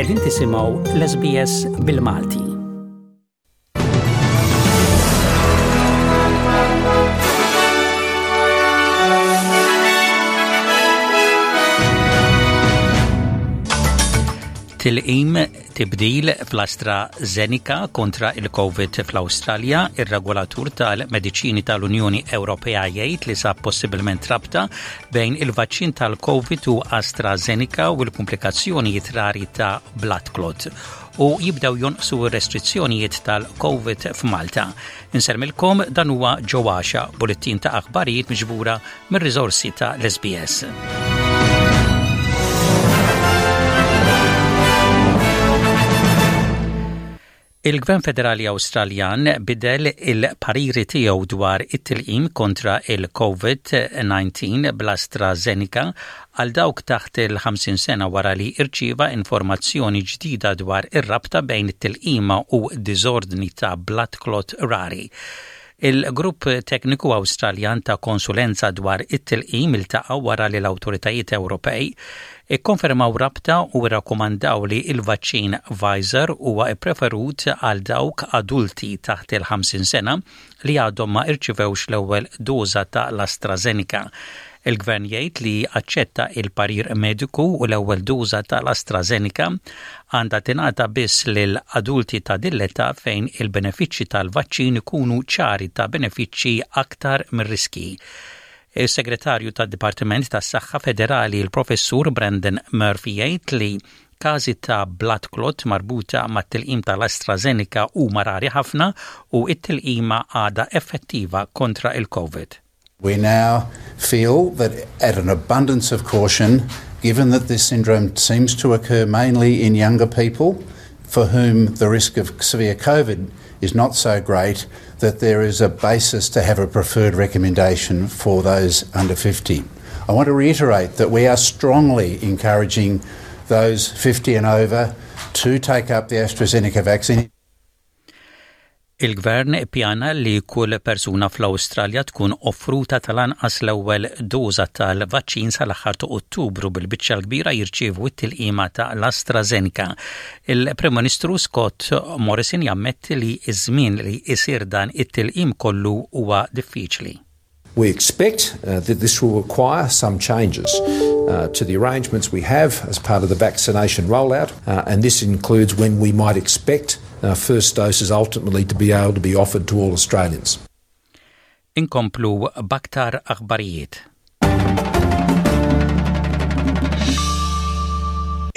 Qegħdin tisimgħu l-SBS bil-Malti. Tilqim tibdil fl-AstraZeneca kontra il-Covid fl-Awstralja, ir-regolatur tal-mediċini tal-Unjoni Ewropea jgħid li sab possibilment rabta bejn il-vaċċin tal-Covid u AstraZeneca u l-kumplikazzjonijiet rari ta' blood clot u jibdew jonqsu r-restrizzjonijiet tal-Covid f'Malta. Insermilkom dan huwa ġewwaxa bulettin ta' aħbarijiet miġbura mir-riżorsi ta' l-SBS. Il-Gvern Federali Awstraljan bidel il-pariri tiegħu dwar it-tilqim kontra il-COVID-19 bl-AstraZeneca għal dawk taħt il-50 sena wara li rċieva informazzjoni ġdida dwar ir-rabta bejn it-tilqima u diżordni ta' blood clot rari. Il-Grupp Tekniku Awstraljan ta' Konsulenza dwar it-Tilqim iltaqa' wara li l-awtoritajiet Ewropej ikkonfermaw rabta u rrakkomandaw li l-vaċċin Pfizer huwa ppreferut għal dawk adulti taħt il-50 sena li għadhom ma rċivewx l-ewwel doża ta' l-AstraZeneca. Il-Gvern jgħid li aċċetta il-parir mediku u l-ewwel doża tal-AstraZeneca għandha tingħata biss lil adulti ta' din l-età fejn il-benefiċċji tal-vaċċin ikunu ċari ta' benefiċċji aktar mir-riskji. Is-Segretarju tad-Dipartiment tas-Saħħa Federali l-Professur Brendan Murphy jgħid li każi ta' blood clot marbuta mat-tilqim tal-AstraZeneca huma rari ħafna u t-tilqima għadha effettiva kontra il-Covid. We now feel that at an abundance of caution, given that this syndrome seems to occur mainly in younger people for whom the risk of severe COVID is not so great, that there is a basis to have a preferred recommendation for those under 50. I want to reiterate that we are strongly encouraging those 50 and over to take up the AstraZeneca vaccine. Il-Gvern ippjana li kull persuna fl-Awstralja tkun offruta tal-anqas l-ewwel doża tal-vaċċin sal-aħħar ta' Ottubru bil-biċċa l-kbira jirċievu t-tilqima ta' l-AstraZeneca. Il-Prim Ministru Scott Morrison jammetti li ż-żmien li jsir dan it-tilqim kollu huwa diffiċli. We expect uh, that this will require some changes uh, to the arrangements we have as part of the vaccination rollout, uh, and this includes when we might expect uh, first doses ultimately to be able to be offered to all Australians. Inkomplu b'aktar aħbarijiet.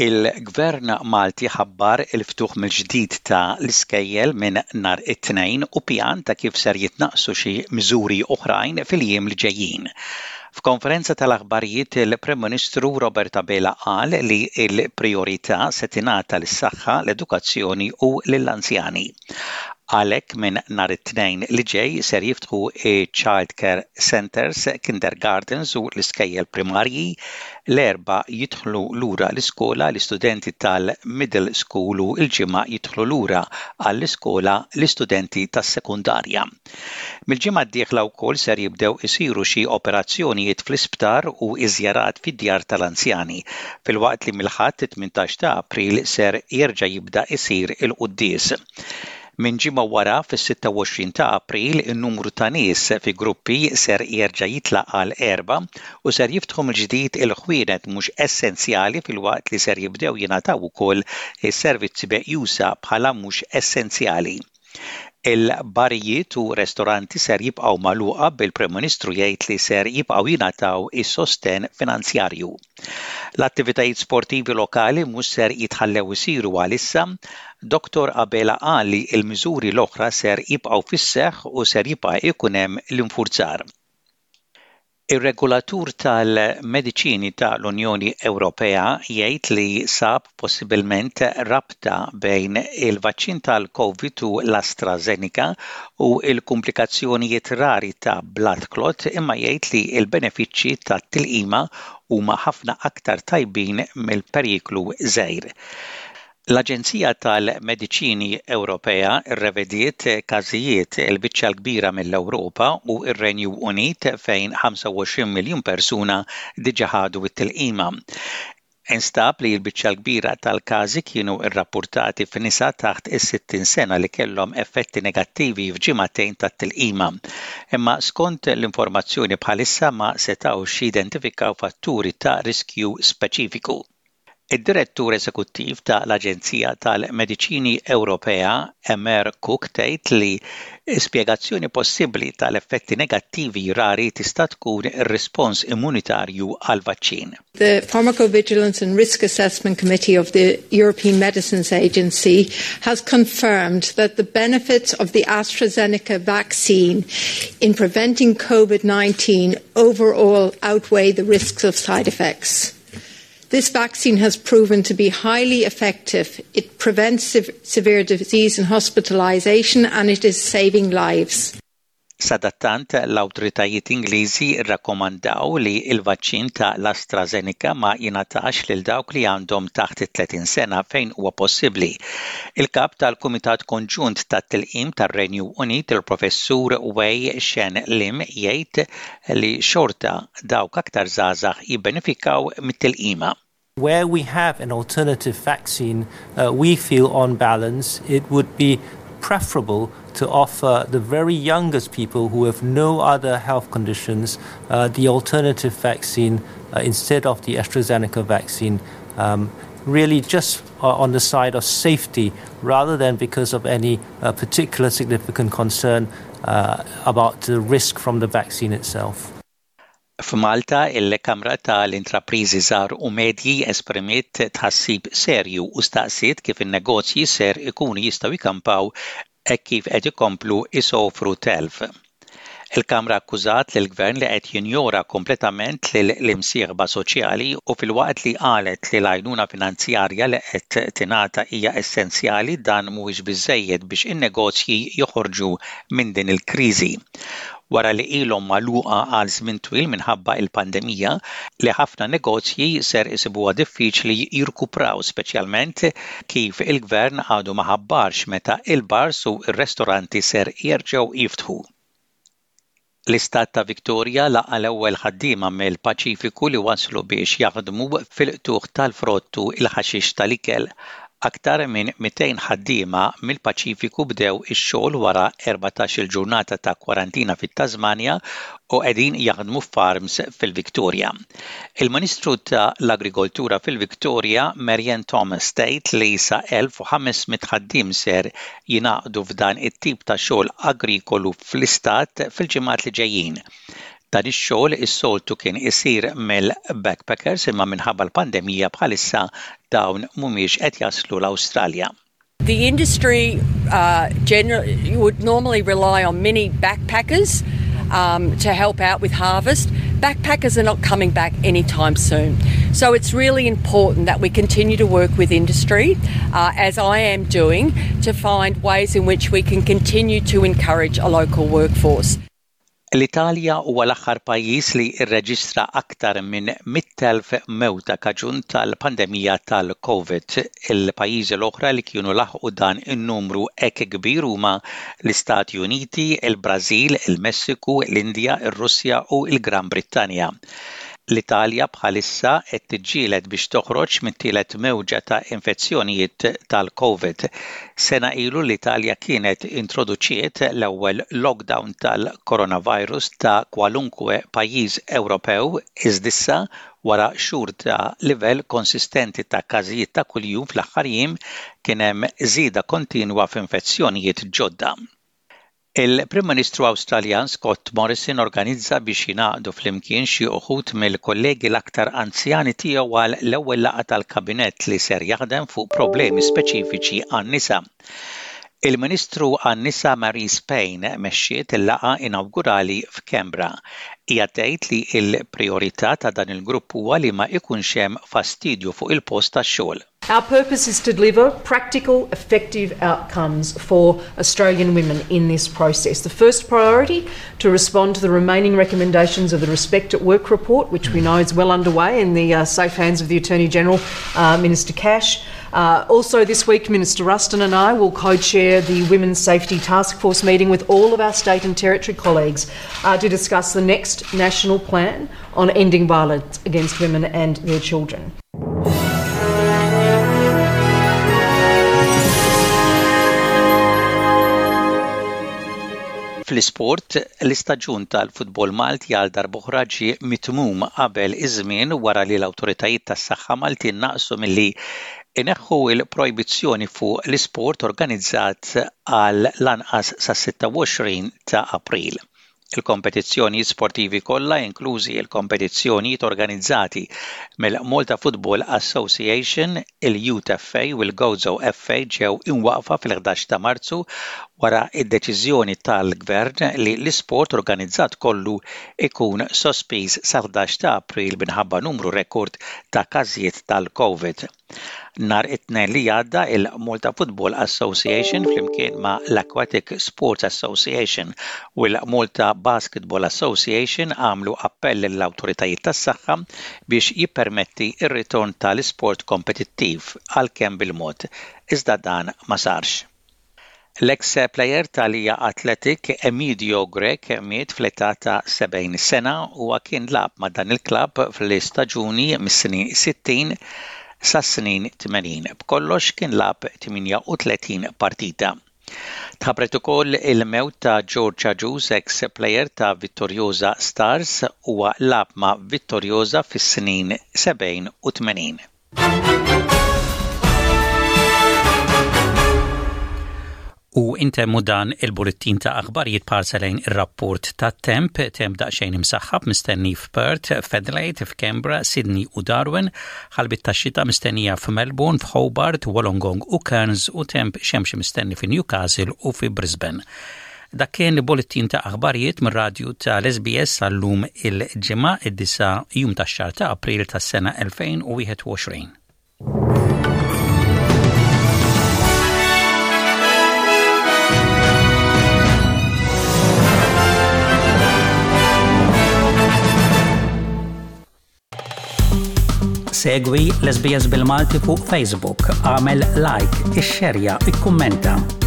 Il-Gvern Malti ħabbar il-ftuħ mill-ġdid ta' l-iskejjel minn nhar it-Tnejn u pjan ta' kif ser jitnaqqsu xi miżuri oħrajn fil-jiem li ġejjin. F'konferenza tal-aħbarijiet il-Prim Ministru Robert Abela qal li l-prijorità se tingħata lis-saħħa, l-edukazzjoni u lill-anzjani. Għalhekk minn nhar it-Tnejn li ġej ser jiftħu ċ-Child Care Centres, Kindergartens u l-iskejjel primarji. L-Erbgħa jidħlu lura l-iskola l-istudenti tal-Middle School u l-Ġimgħa jidħlu lura għall-iskola l-istudenti tas-sekondarja. Mill-ġimgħa d-dieħla wkoll ser jibdew isiru xi operazzjonijiet fl-isptar u ż-żjarat fid-djar tal-anzjani, filwaqt li mill-Ħadd it-18 ta' April ser jerġa' jibda jsir il-quddies. Minn ġimgħa wara, fis-26 ta' April, in-numru ta' nies fi gruppi ser jerġa' jitla' għal erbgħa u ser jiftħu mill-ġdid il-ħwienet mhux essenzjali filwaqt li ser jibdew jingħataw ukoll is-servizzi meqjusa bħala mhux essenzjali. Il-barijiet u restoranti ser jibqgħu magħluqa bil-Prim Ministru jgħid li ser jibqgħu jingħataw is-sostenn finanzjarju. L-attivitajiet sportivi lokali mhux ser jitħallew isiru għalissa. Dottor Abela qal li l-miżuri l-oħra ser jibqgħu fis-seħħ u ser jibqa' jkun hemm l-infurzar. Ir-regolatur tal-mediċini ta' l-Unjoni Ewropea jgħid li sab possibilment rabta bejn il-vaċċin tal-Covid u l-AstraZeneca u l-kumplikazzjonijiet rari ta' blood clot imma jgħid li l-benefiċċji tat-tilqima huma ħafna aktar tajbin mill-periklu żgħir. L-Aġenzija tal-Mediċini Ewropea rrevediet każijiet il-biċċa l-kbira mill-Ewropa u r-Renju Unit fejn 25 miljun persuna diġà ħadu t-tilqima. Instab li l-biċċa l-kbira tal-każi kienu rrappurtati f'nisa taħt is-60 sena li kellhom effetti negattivi f'ġimagħtejn tat-tilqima. Imma skont l-informazzjoni bħalissa ma setgħux jidentifikaw fatturi ta' riskju speċifiku. Id-Direttur Eżekuttiv ta' l-Aġenzija tal-Mediċini Ewropea, Emer Cook tgħid li spjegazzjoni possibbli tal-effetti negattivi rari tista' tkun ir-rispons immunitarju għall-vaċċin. The Pharmacovigilance and Risk Assessment Committee of the European Medicines Agency has confirmed that the benefits of the AstraZeneca vaccine in preventing COVID-19 overall outweigh the risks of side effects. This vaccine has proven to be highly effective. It prevents severe disease and hospitalization and it is saving lives. Sadattant, l-awtoritajiet Ingliżi rrakkomandaw li l-vaċċin ta' l-AstraZeneca ma jingħatax lil dawk li għandhom taħt it-30 sena fejn huwa possibbli. Il-kap tal-Kumitat Konġunt tat-Tilqim tar-Renju Unit, il-Professur Wei Shen Lim jgħid li xorta dawk aktar żgħażagħ jibbenefikaw mit-tilqima. Where we have an alternative vaccine, uh, we feel on balance it would be preferable to offer the very youngest people who have no other health conditions uh, the alternative vaccine uh, instead of the AstraZeneca vaccine. Um, really just uh, on the side of safety rather than because of any uh, particular significant concern uh, about the risk from the vaccine itself. F'Malta, il-Kamra ta' l-Intrapriżi Żgħar u Medji esprimiet tħassib serju u staqsiet kif in-negozji ser ikunu jistgħu jkampaw hekk kif qed ikomplu jsofru telf. Il-Kamra akkużat lill-Gvern li qed jinjora kompletament lill-imsieħba soċjali u filwaqt li qalet li l-għajnuna finanzjarja li qed tingħata hija essenzjali dan mhuwiex biżżejjed biex in-negozji joħorġu minn din il-kriżi. Wara li ilhom magħluqa għal żmien twil minħabba l-pandemija, li ħafna negozji ser isibuha diffiċli jirkupraw speċjalment kif il-Gvern għadu ma ħabbarx meta l-bars u r-restoranti ser jerġgħu jiftħu. L-Istat ta' Victoria laqa' l-ewwel ħaddiema mill-Paċifiku li waslu biex jaħdmu fil-qtugħ tal-frott u l-ħaxix tal-ikel. Aktar minn 200 ħaddiema mill-Paċifiku bdew ix-xogħol wara 14-il ġurnata ta' kwarantina fit-Tasmanja u qegħdin jaħdmu f'farms fil-Victoria. Il-Ministru ta' l-Agrikoltura fil-Victoria, Marianne Thomas tgħid li sa 1,500 ħaddiem ser jingħaqdu f'dan it-tip ta' xogħol agrikolu fl-istat fil-ġimgħat li ġejjin. Dan ix-xogħol is-soltu kien isir mill-backpackers imma minħabba l-pandemija bħalissa dawn mhumiex qed jaslu l-Awstralja. The industry uh, generally would normally rely on many backpackers um, to help out with harvest. Backpackers are not coming back anytime soon. So it's really important that we continue to work with industry, uh, as I am doing, to find ways in which we can continue to encourage a local workforce. L-Italja huwa l-aħħar pajjiż li rreġistra aktar minn 100,000 mewta kaġun tal-pandemija tal-Covid. Il-pajjiżi l-oħra li kienu laħqu dan in-numru hekk kbir huma l-Istati Uniti, il-Brażil, il-Messiku, l-Indja, ir-Russja u l-Gran Brittanja. L-Italja bħalissa qed tiġġieled biex toħroġ mit-tielet mewġa ta' infezzjonijiet tal-Covid. Sena ilu l-Italja kienet introduċiet l-ewwel lockdown tal-coronavirus ta' kwalunkwe pajjiż Ewropew iżda issa wara xhur ta' livell konsistenti ta' każijiet ta' kuljum fl-aħħar jiem kien hemm żieda kontinwa f'infezzjonijiet ġodda. Il-Prim Ministru Awstraljan Scott Morrison organizza biex jingħaqdu flimkien xi uħud mill-kollegi l-aktar anzjani tiegħu għal l-ewwel laqgħa tal-Kabinett li ser jaħdem fuq problemi speċifiċi għan-nisa. Il-Ministru għan-Nisa Marise Payne mexxiet il-laqgħa inawgurali f'Canberra. Hija tgħid li l-prijorità ta' dan il-grupp huwa li ma ikunx hemm fastidju fuq il-post tax-xogħol. Our purpose is to deliver practical, effective outcomes for Australian women in this process. The first priority, to respond to the remaining recommendations of the Respect at Work report, which we know is well underway in the uh, safe hands of the Attorney General, uh, Minister Cash. Uh, also this week, Minister Ruston and I will co-chair the Women's Safety Task Force meeting with all of our state and territory colleagues uh, to discuss the next national plan on ending violence against women and their children. Fl-isport, l-istaġun tal-futbol Malti għal darb'oħra ġie mitmum qabel iż-żmien wara li l-awtoritajiet tas-saħħa Maltin naqsu milli jneħħu l-projbizzjoni fuq l-isport organizzat għal l-anqas sas-26 ta' April. Il-kompetizzjonijiet sportivi kollha, inklużi l-kompetizzjonijiet organizzati mill-Malta Football Association, il-Youth FA u l-Gozo FA ġew imwaqqfa fil-11 ta' Marzu wara d-deċiżjoni tal-Gvern li l-isport organizzat kollu jkun sospiż sal-11 ta' April minħabba numru rekord ta' każijiet tal-Covid. Nhar it-Tnejn li għadda, il-Malta Football Association flimkien ma' l-Aquatic Sports Association u l-Malta Basketball Association għamlu appell lill-awtoritajiet tas-saħħa biex jippermetti r-ritorn tal-isport kompetittiv, għalkemm bil-mod, iżda dan ma sarx. L-eks plejer ta' Lija Athletic, Emidio Grech miet fl-età ta' 70 sena. Huwa kien lagħab ma' dan il-klabb fl-istaġuni mis-snin 60 sas-snin 80. B'kollox kien lagħab 38 partita. Tħabbret ukoll il-mewt ta' George Agius, eks plejer ta' Vittoriosa Stars. Huwa lagħab ma' Vittoriosa fis-snin 70 u 80. U intemmu dan il-bullettin ta' aħbarijiet b'ħarsa lejn ir-rapport tat-temp, temp daqsxejn imsaħħab mistenni f'Perth, f'Adelaide, f'Canberra, Sydney u Darwin, ħalbiet tax-xita mistennija f'Melbourne, f'Hobart, Wollongong u Cairns u temp xemxi mistenni fi Newcastle u fi Brisbane. Dak kien bullettin ta' aħbarijiet mir-radju tal-SBS għal-lum il-Ġimgħa id-disa' jum tax-xahar ta' April tas-sena 2021. Segwi l-SBS bil-Malti fuq Facebook, għamel like, ixxerja, ikkummenta.